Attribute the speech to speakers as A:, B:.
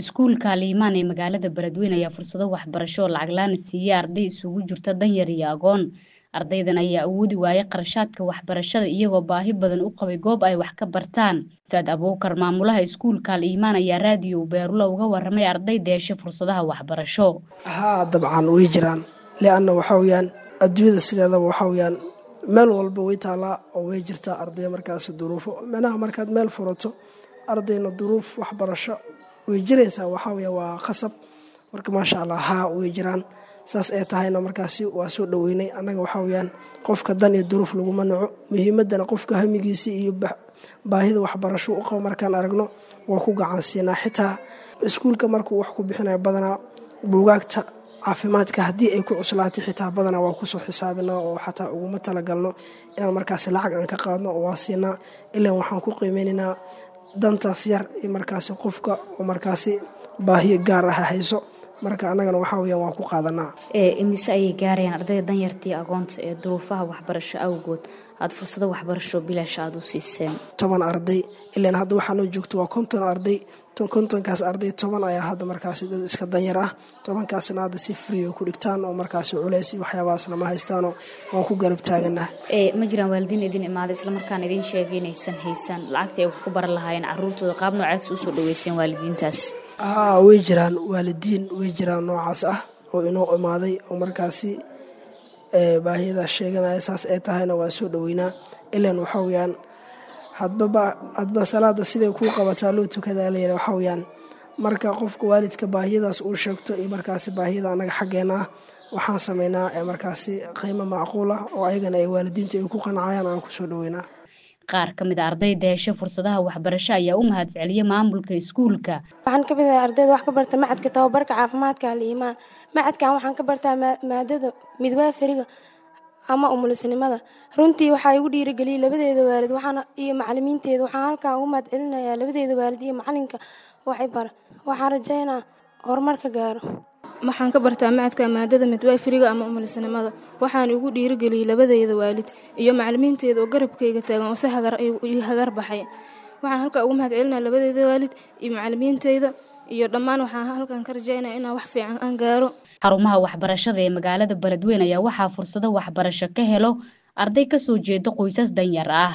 A: Iskuulka Al-Imaan ee magaalada Beledweyne ayaa fursado waxbarasho oo lacag la'aan ah siiyay arday isugu jirta danyar iyo agoon. Ardaydan ayaa awoodi waayay kharashaadka waxbarashada iyagoo baahi badan u qabay goob ay wax ka bartaan. Ustaad Abuukar, maamulaha iskuulka Al-Imaan, ayaa raadiyo Beerulo uga warramay ardayda heshay fursadaha waxbarasho.
B: Haa, dabcan way jiraan, lianna waxaa weyaan adduunyada sideedaba waxaa weyaan meel walba way taalaa oo way jirtaa arday markaas duruufo micnaha markaad meel furato ardayna duruuf waxbarasho way jiraysaa, waxaa weya waa khasab. Marka maasha Allah, haa, way jiraan. Saas ay tahayna markaasi waa soo dhoweynay annaga. Waxaa weyaan qofka dan iyo duruuf laguma naco, muhiimadana qofka hamigiisa iyo baahida waxbarasho u qabo markaan aragno waa ku gacan siinaa. Xitaa iskuulka markuu wax ku bixinayo badanaa buugaagta caafimaadka haddii ay ku cuslaatay xitaa badanaa waa kusoo xisaabinaa oo xataa uguma talagalno inaan markaasi lacag aan ka qaadno oo waa siinaa, ilaan waxaan ku qiimeynaynaa dantaas yar iyo markaasi qofka oo markaasi baahiyo gaar ah hayso. Marka annagana waxaa weyaan waan ku qaadanaa.
A: Imise ayay gaarayaan ardayda danyartii agoonta ee duruufaha waxbarasho awgood aad fursado waxbarasho bilaash aad u siiseen?
B: 10 arday. Ilaan hadda waxaa noo joogto waa 50 arday. 50kaas arday 10 ayaa hadda markaasi dad iska danyar ah, 10kaasna hadda si free ku dhigtaan oo markaasi culeys iyo waxyaabahaas lama haystaanoo waan ku garab taaganah.
A: Ma jiraan waalidiin idin imaaday islamarkaana idin sheegay inaysan haysan lacagtii ay wax ku baran lahaayeen caruurtooda? Qaab noocaas usoo dhaweyseen waalidiintaas?
B: Haa, way jiraan waalidiin, way jiraan noocaas ah oo inoo imaaday oo markaasi baahiyadaas sheeganaya. Saas ay tahayna waan soo dhoweynaa, ilaan waxaa weyaan hadba salaada siday kuu qabataa loo tukadaa layidhi. Waxaa weyaan marka qofka waalidka baahiyadaas uu sheegto iyo markaasi baahiyada annaga xaggeena ah, waxaan sameynaa markaasi qiimo macquul ah oo ayagana ay waalidiinta ay ku qancayaan aan kusoo dhoweynaa.
A: Qaar ka mid a ardayda heshay fursadaha waxbarasho ayaa u mahadceliyay maamulka iskuulka.
C: Waxaan ka mid ahay ardayda wax ka barta macadka tababarka caafimaadka Al-Iimaan. Macadkan waxaan ka bartaa maadada midwaafariga ama umulisnimada. Runtii waxaa igu dhiirigeliyey labadeeda waalid waxaana iyo macalimiinteeda. Waxaan halkan ugu mahadcelinayaa labadeeda waalid iyo macalinka waxay bara. Waxaan rajaynaa horumar ka gaaro.
D: Waxaan ka bartaa macadka maadada midwayfriga ama umulisnimada. Waxaan igu dhiirigeliyey labadeyda waalid iyo macalimiinteeda oo garabkayga taagan oo si hagar ii hagar baxay. Waxaan halkaa ugu mahadcelinaya labadeyda waalid iyo macalimiinteyda iyo dhammaan. Waxaan halkan ka rajaynaya inaan wax fiican aan gaaro.
A: Xarumaha waxbarashada ee magaalada Beledweyne ayaa waxaa fursado waxbarasho ka helo arday ka soo jeeda qoysas danyar ah.